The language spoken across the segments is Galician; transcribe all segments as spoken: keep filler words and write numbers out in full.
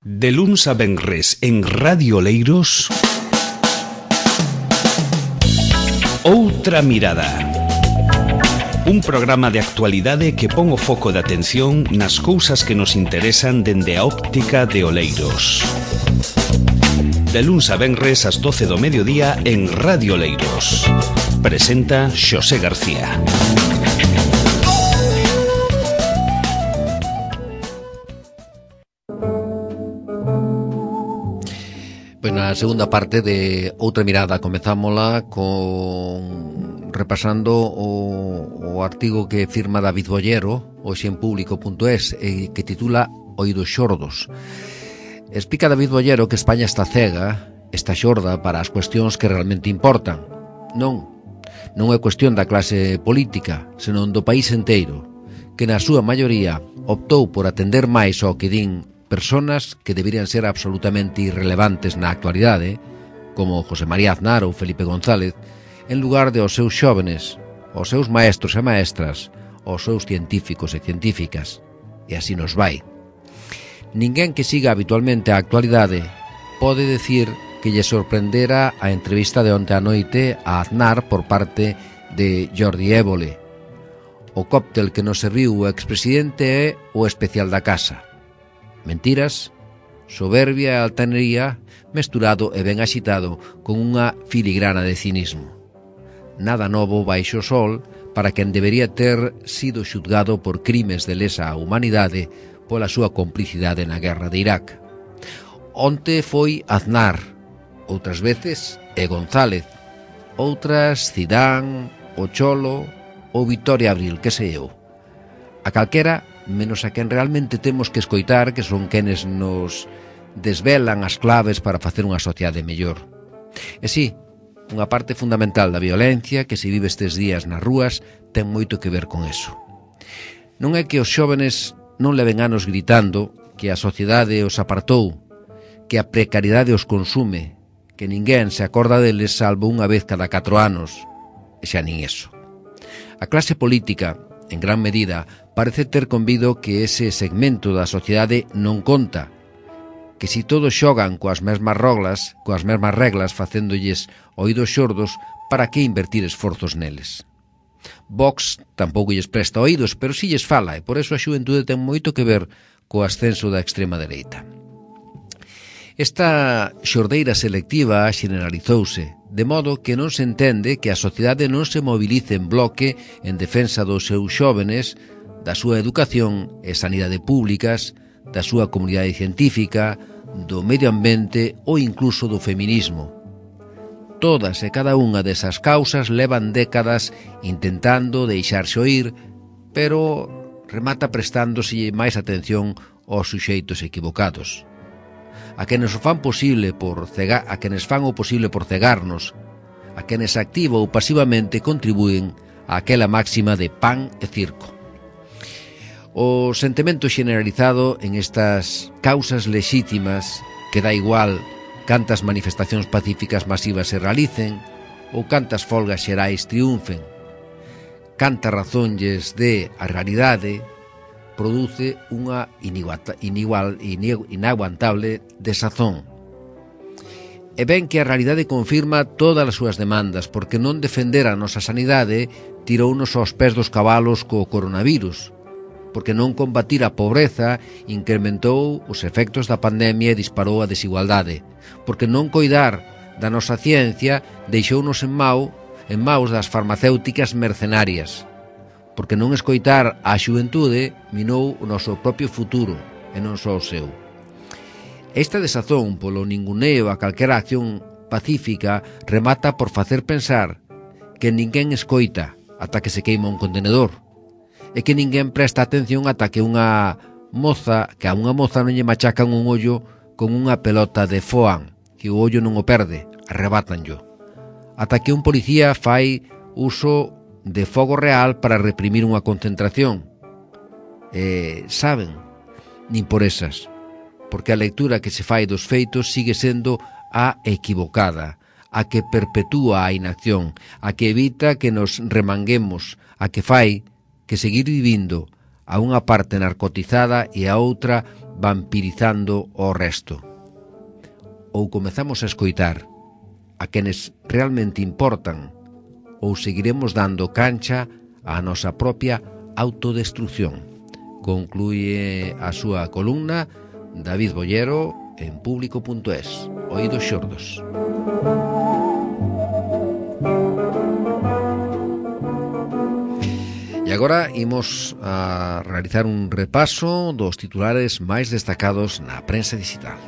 De luns a venres en Radio Oleiros, Outra Mirada. Un programa de actualidade que pon o foco de atención nas cousas que nos interesan dende a óptica de Oleiros. De luns a venres ás doce do mediodía en Radio Oleiros. Presenta Xosé García. Pois na segunda parte de Outra Mirada comezámola con repasando o, o artigo que firma David Bollero hoxe en público punto es e que titula Oídos xordos. Explica David Bollero que España está cega, está xorda para as cuestións que realmente importan. Non, non é cuestión da clase política, senón do país inteiro, que na súa maioría optou por atender máis ao que din personas que deberían ser absolutamente irrelevantes na actualidade, como José María Aznar ou Felipe González, en lugar de aos seus xóvenes, aos seus maestros e maestras, aos seus científicos e científicas. E así nos vai. Ninguén que siga habitualmente a actualidade pode decir que lle sorprendera a entrevista de onte a noite a Aznar por parte de Jordi Évole. O cóctel que nos serviu o expresidente é o especial da casa. Mentiras, soberbia e altanería mesturado e ben axitado con unha filigrana de cinismo. Nada novo baixo o sol para quen debería ter sido xuzgado por crimes de lesa humanidade pola súa complicidade na guerra de Irak. Onte foi Aznar, outras veces é González, outras Zidane, o Cholo ou Victoria Abril, que sei eu. A calquera, menos a quen realmente temos que escoitar, que son quenes nos desvelan as claves para facer unha sociedade mellor. E si, unha parte fundamental da violencia que se vive estes días nas rúas ten moito que ver con eso. Non é que os xóvenes non leven anos gritando que a sociedade os apartou, que a precariedade os consume, que ninguén se acorda deles salvo unha vez cada catro anos, e xa nin eso. A clase política, en gran medida, parece ter convido que ese segmento da sociedade non conta, que si todos xogan coas mesmas reglas, coas mesmas reglas facéndolles oídos xordos, para que invertir esforzos neles. Vox tampouco lles presta oídos, pero si lles fala, e por eso a xuventude ten moito que ver co ascenso da extrema dereita. Esta xordeira selectiva xeneralizouse, de modo que non se entende que a sociedade non se movilice en bloque en defensa dos seus xóvenes, da súa educación e sanidade públicas, da súa comunidade científica, do medio ambiente ou incluso do feminismo. Todas e cada unha desas causas levan décadas intentando deixarse oír, pero remata prestándose máis atención aos suxeitos equivocados. A quenes o fan posible por cega, a quenes fan o posible por cegarnos, a quenes activa ou pasivamente contribúen a aquela máxima de pan e circo. O sentimento xeneralizado en estas causas lexítimas, que dá igual cantas manifestacións pacíficas masivas se realicen ou cantas folgas xerais triunfen, canta razónlles de a realidade, produce unha inigual, inaguantable desazón. E ben que a realidade confirma todas as súas demandas, porque non defender a nosa sanidade tirounos aos pés dos cabalos co coronavirus, porque non combatir a pobreza incrementou os efectos da pandemia e disparou a desigualdade, porque non coidar da nosa ciencia deixounos en mau, en maus das farmacéuticas mercenarias, porque non escoitar a xuventude minou o noso propio futuro e non só o seu. Esta desazón polo ninguneo a calquera acción pacífica remata por facer pensar que ninguén escoita ata que se queima un contenedor, e que ninguén presta atención ata que unha moza, que a unha moza non lle machacan un ollo con unha pelota de foam, que o ollo non o perde, arrebátanllo. Ata que un policía fai uso de fogo real para reprimir unha concentración. E, saben, nin por esas, porque a lectura que se fai dos feitos sigue sendo a equivocada, a que perpetúa a inacción, a que evita que nos remanguemos, a que fai que seguir vivindo a unha parte narcotizada e a outra vampirizando o resto. Ou comezamos a escoitar a quenes realmente importan, ou seguiremos dando cancha á nosa propia autodestrucción. Conclúe a súa columna David Bollero en público punto es. Oídos xordos. E agora imos a realizar un repaso dos titulares máis destacados na prensa digital.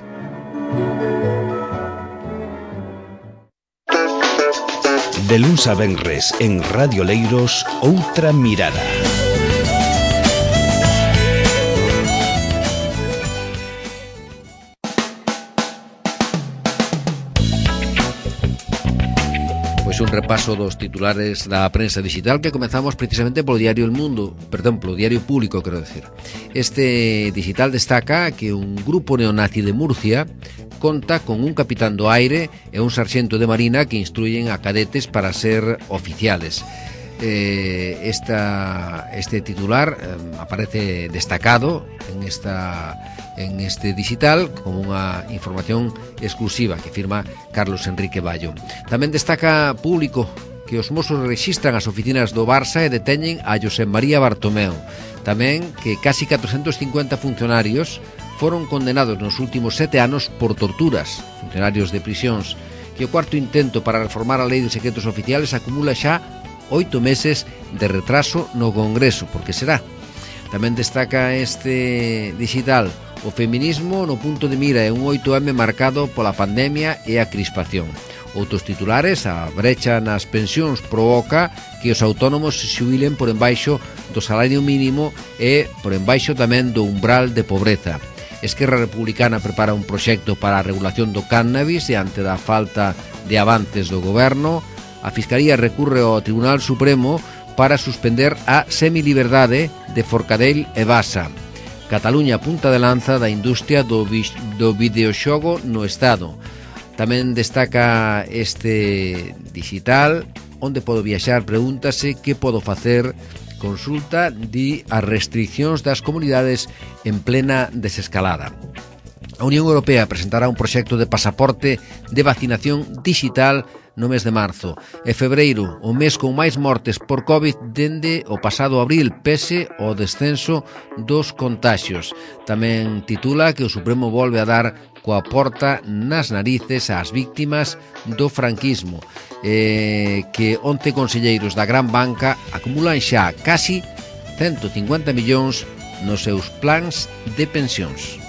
De luns a venres en Radio Leiros, Outra Mirada. Pois un repaso dos titulares da prensa digital que comezamos precisamente polo diario El Mundo, perdón, polo diario Público, quero decir. Este digital destaca que un grupo neonazi de Murcia conta con un capitán do aire e un sarxento de marina que instruyen a cadetes para ser oficiales. Eh, esta, este titular eh, aparece destacado en esta en este digital como unha información exclusiva que firma Carlos Enrique Bayo. Tamén destaca Público que os mozos rexistran as oficinas do Barça e deteñen a Josep María Bartomeu. Tamén que casi catrocentos cincuenta funcionarios foron condenados nos últimos sete anos por torturas, funcionarios de prisións, que o cuarto intento para reformar a lei de secretos oficiales acumula xa oito meses de retraso no Congreso, porque será. Tamén destaca este digital o feminismo no punto de mira e un oito eme marcado pola pandemia e a crispación. Outros titulares, a brecha nas pensións provoca que os autónomos se xubilen por embaixo do salario mínimo e por embaixo tamén do umbral de pobreza. Esquerra Republicana prepara un proxecto para a regulación do cannabis e ante da falta de avances do goberno, a Fiscalía recurre ao Tribunal Supremo para suspender a semiliberdade de Forcadell e Basa. Cataluña punta de lanza da industria do, do videoxogo no Estado. Tamén destaca este digital, onde podo viaxar, pregúntase que podo facer, consulta di as restriccións das comunidades en plena desescalada. A Unión Europea presentará un proxecto de pasaporte de vacinación digital no mes de marzo. E febreiro, o mes con máis mortes por COVID dende o pasado abril, pese ao descenso dos contaxios. Tamén titula que o Supremo volve a dar coa porta nas narices ás víctimas do franquismo, eh, que once conselleiros da gran banca acumulan xa casi ciento cincuenta millóns nos seus plans de pensións.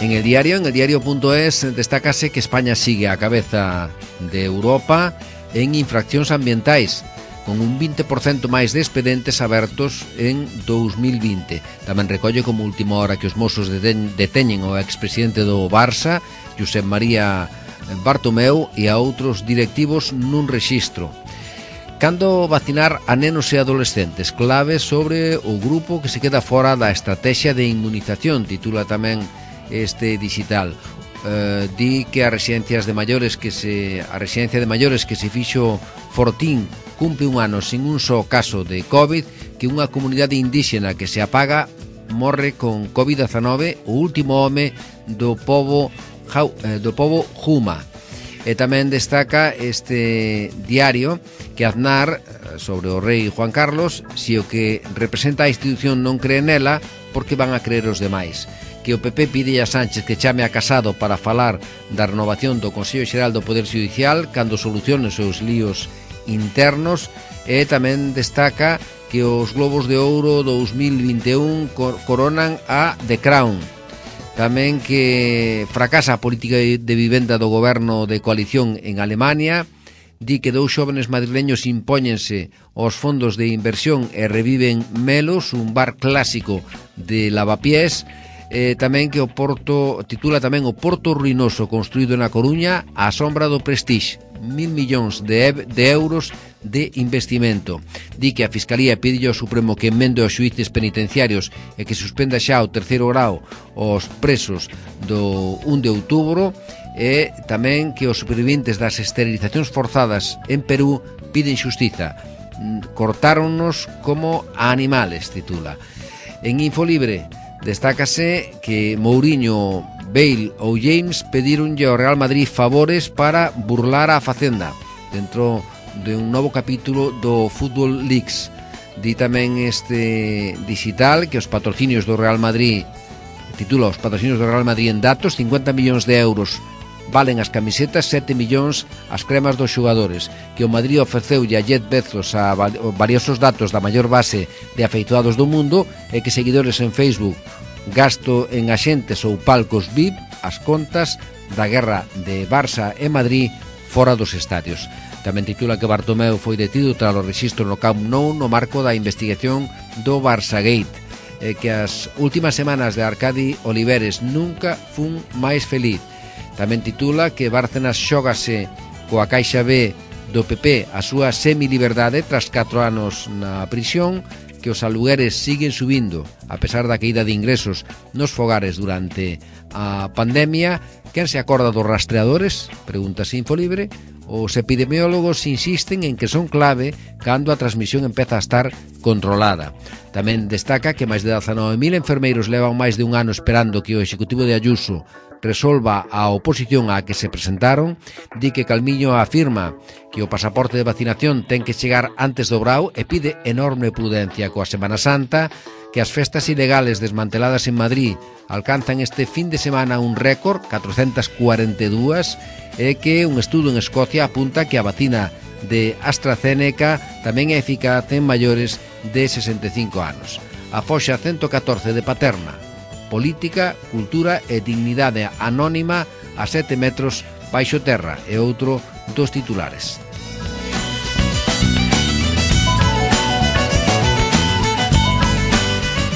En el diario, en el diario punto es, destácase que España sigue a cabeza de Europa en infraccións ambientais, con un vinte por cento máis de expedientes abertos en dous mil vinte. Tamén recolle como última hora que os mozos deteñen ao expresidente do Barça, Josep María Bartomeu, e a outros directivos nun rexistro. Cando vacinar a nenos e adolescentes, clave sobre o grupo que se queda fora da estrategia de inmunización, titula tamén este digital. Uh, di que as residencias de maiores que se a residencia de maiores que se fixo Fortín cumpre un ano sin un só caso de COVID, que unha comunidade indígena que se apaga morre con COVID diecinueve, o último home do pobo do pobo Juma. E tamén destaca este diario que Aznar, sobre o rei Juan Carlos, se o que representa a institución non cree nela, porque van a creer os demais. Que o P P pide a Sánchez que chame a Casado para falar da renovación do Consello Xeral do Poder Xudicial cando solucione os seus líos internos. E tamén destaca que os Globos de Ouro dous mil vinte e un coronan a The Crown. Tamén que fracasa a política de vivenda do goberno de coalición en Alemania. Di que dous xóvenes madrileños impóñense aos fondos de inversión e reviven Melos, un bar clásico de lavapiés. Eh, tamén que o Porto, titula tamén o Porto Ruinoso construído na Coruña á sombra do Prestige, mil millóns de, de euros de investimento. Di que a Fiscalía pide ao Supremo que emende os xuíces penitenciarios e que suspenda xa o terceiro grao os presos do un de outubro. E tamén que os supervivientes das esterilizacións forzadas en Perú piden xustiza. cortáronnos como a animales, titula. En Infolibre destácase que Mourinho, Bale ou James pedironlle ao Real Madrid favores para burlar a Facenda dentro de un novo capítulo do Football Leaks. Di tamén este digital que os patrocinios do Real Madrid, titula os patrocinios do Real Madrid en datos, cincuenta millóns de euros valen as camisetas, sete millóns as cremas dos xogadores, que o Madrid ofreceulle a Jeff Bezos a valiosos datos da maior base de afeituados do mundo e que seguidores en Facebook, gasto en axentes ou palcos V I P, as contas da guerra de Barça e Madrid fora dos estadios. Tamén titula que Bartomeu foi detido tras o rexistro no Camp Nou no marco da investigación do Barçagate, e que as últimas semanas de Arcadi Oliveres nunca fun máis feliz. Tamén titula que Bárcenas xógase coa Caixa B do P P a súa semiliberdade tras catro anos na prisión, que os alugueres siguen subindo a pesar da caída de ingresos nos fogares durante a pandemia. Quen se acorda dos rastreadores? Pregúntase Infolibre. Os epidemiólogos insisten en que son clave cando a transmisión empeza a estar controlada. Tamén destaca que máis de dezanove mil enfermeiros levan máis de un ano esperando que o Executivo de Ayuso resolva a oposición á que se presentaron. Di que Calviño afirma que o pasaporte de vacinación ten que chegar antes do Brao e pide enorme prudencia coa Semana Santa, que as festas ilegales desmanteladas en Madrid alcanzan este fin de semana un récord, catrocentas cuarenta e dúas, e que un estudo en Escocia apunta que a vacina de AstraZeneca tamén é eficaz en maiores de sesenta e cinco anos. A foxa ciento catorce de Paterna, política, cultura e dignidade anónima a sete metros baixo terra, e outro dos titulares.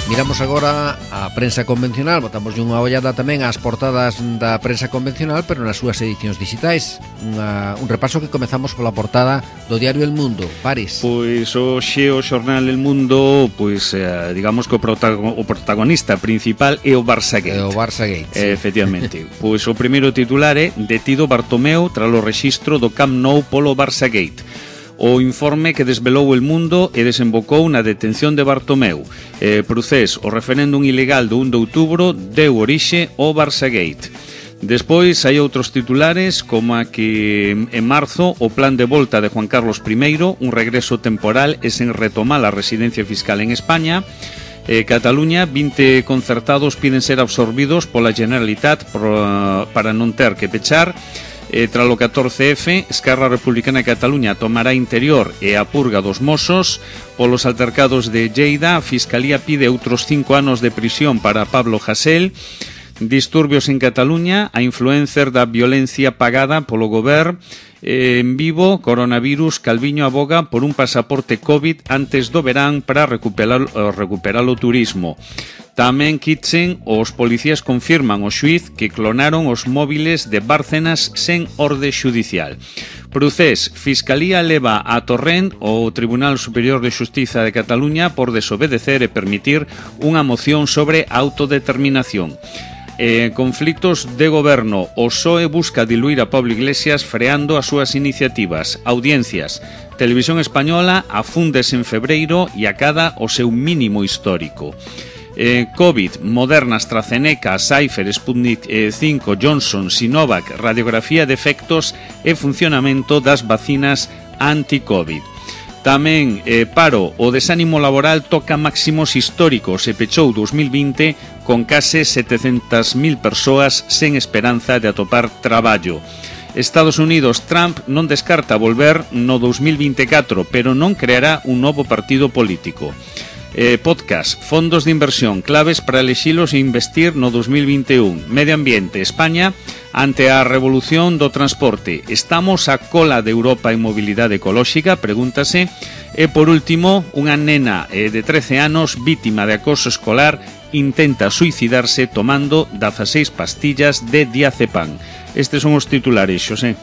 Miramos agora a prensa convencional, botamos unha ollada tamén ás portadas da prensa convencional, pero nas súas edicións digitais. Unha, un repaso que comezamos pola portada do diario El Mundo. Paris. Pois o xeo xornal El Mundo, pois eh, digamos que o, protago, o protagonista principal é o Barçagate. É o Barçagate, sí. eh, Efectivamente. Pois o primeiro titular é: detido Bartomeu tras o rexistro do Camp Nou polo Barçagate. O informe que desvelou El Mundo e desembocou na detención de Bartomeu. Eh, Procés, o referéndum ilegal do un de outubro deu orixe ao Barçagate. Despois hai outros titulares, como a que en marzo o plan de volta de Juan Carlos primeiro, un regreso temporal e sen retomar a residencia fiscal en España. Eh, Cataluña, vinte concertados piden ser absorbidos pola Generalitat por, para non ter que pechar. Eh, tras o catorce efe, Esquerra Republicana de Cataluña tomará Interior e a purga dos Mossos. Polos altercados de Lleida, a Fiscalía pide outros cinco anos de prisión para Pablo Hasél. Disturbios en Cataluña, a influencer da violencia pagada polo goberno. Eh, en Vivo, coronavirus, Calviño aboga por un pasaporte COVID antes do verán para recuperar, recuperar o turismo. Tamén Kitchen, os policías confirman o xuiz que clonaron os móviles de Bárcenas sen orde xudicial. Procés, Fiscalía leva a Torrent ao Tribunal Superior de Xustiza de Cataluña por desobedecer e permitir unha moción sobre autodeterminación. Eh, conflitos de goberno, o P S O E busca diluir a Pablo Iglesias freando as súas iniciativas. Audiencias, Televisión Española afúndese en febreiro e acada o seu mínimo histórico. Eh, COVID, Moderna, AstraZeneca, Pfizer, Sputnik eh, cinco, Johnson, Sinovac, radiografía de efectos e funcionamento das vacinas anti-COVID. Tamén, eh, paro, o desánimo laboral toca máximos históricos e pechou dos mil vinte con case setecentas mil persoas sen esperanza de atopar traballo. Estados Unidos, Trump non descarta volver no dos mil vinte e catro, pero non creará un novo partido político. Eh, podcast, fondos de inversión claves para elexilos e investir no dos mil vinte e un. Medio ambiente, España ante a revolución do transporte. Estamos a cola de Europa en mobilidade ecolóxica, pregúntase. E por último, unha nena eh, de trece anos vítima de acoso escolar intenta suicidarse tomando dezaseis pastillas de diazepam. Estes son os titulares, Xosé.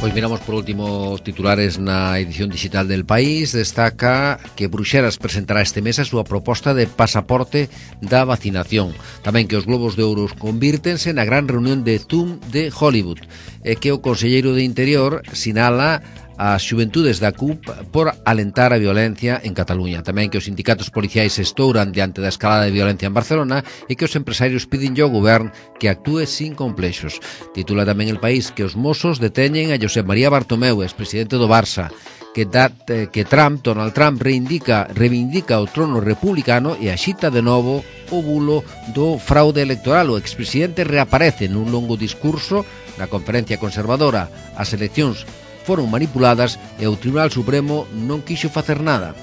Pois miramos por último os titulares na edición digital del País. Destaca que Bruxelas presentará este mes a súa proposta de pasaporte da vacinación. Tamén que os Globos de Ouro convírtense na gran reunión de Zoom de Hollywood. E que o conselleiro de Interior sinala as xuventudes da C U P por alentar a violencia en Cataluña. Tamén que os sindicatos policiais se estouran diante da escalada de violencia en Barcelona e que os empresarios piden ao govern que actúe sin complexos. Titula tamén El País que os mozos deteñen a Josep María Bartomeu, expresidente do Barça, que, da, que Trump, Donald Trump reivindica, reivindica o trono republicano e axita de novo o bulo do fraude electoral. O expresidente reaparece nun longo discurso na conferencia conservadora. As eleccións foron manipuladas e o Tribunal Supremo non quixo facer nada.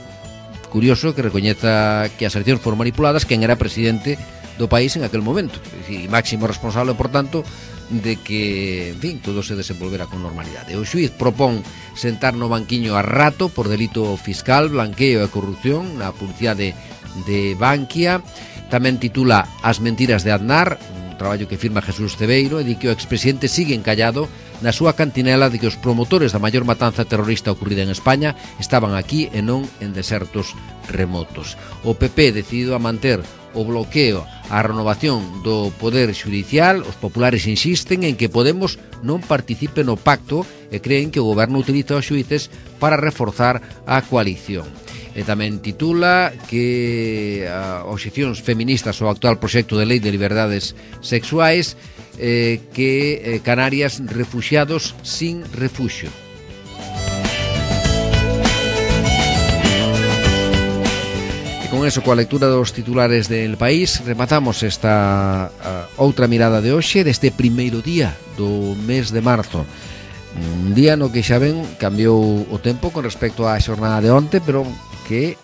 Curioso que recoñeza que as eleccións foron manipuladas quen era presidente do país en aquel momento e máximo responsable, por tanto, de que, en fin, todo se desenvolvera con normalidade. O xuiz propón sentar no banquiño a Rato por delito fiscal, blanqueo e corrupción na publicidade de Bankia. Tamén titula As mentiras de Aznar, un traballo que firma Jesús Cebeiro, e di que o expresidente sigue encallado na súa cantinela de que os promotores da maior matanza terrorista ocorrida en España estaban aquí e non en desertos remotos. O P P decidido a manter o bloqueo á renovación do Poder Xudicial. Os populares insisten en que Podemos non participe no pacto e creen que o goberno utiliza os xuíces para reforzar a coalición. E tamén titula que a oposicións feministas ao actual proxecto de lei de liberdades sexuais, eh, que eh, Canarias refuxiados sin refuxio. Con eso, coa lectura dos titulares del País, rematamos esta uh, outra mirada de hoxe deste primeiro día do mes de marzo. Un día no que xa ven cambiou o tempo con respecto á xornada de onte, pero que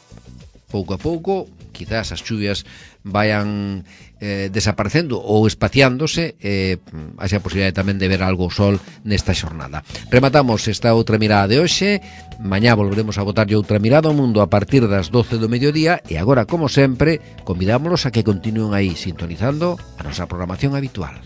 pouco a pouco quizás as chuvias vayan eh, desaparecendo ou espaciándose, e eh, haxa a posibilidade tamén de ver algo o sol nesta xornada. Rematamos esta outra mirada de hoxe. Mañá volveremos a botarlle outra mirada ao mundo a partir das doce do mediodía, e agora, como sempre, convidámolos a que continúen aí sintonizando a nosa programación habitual.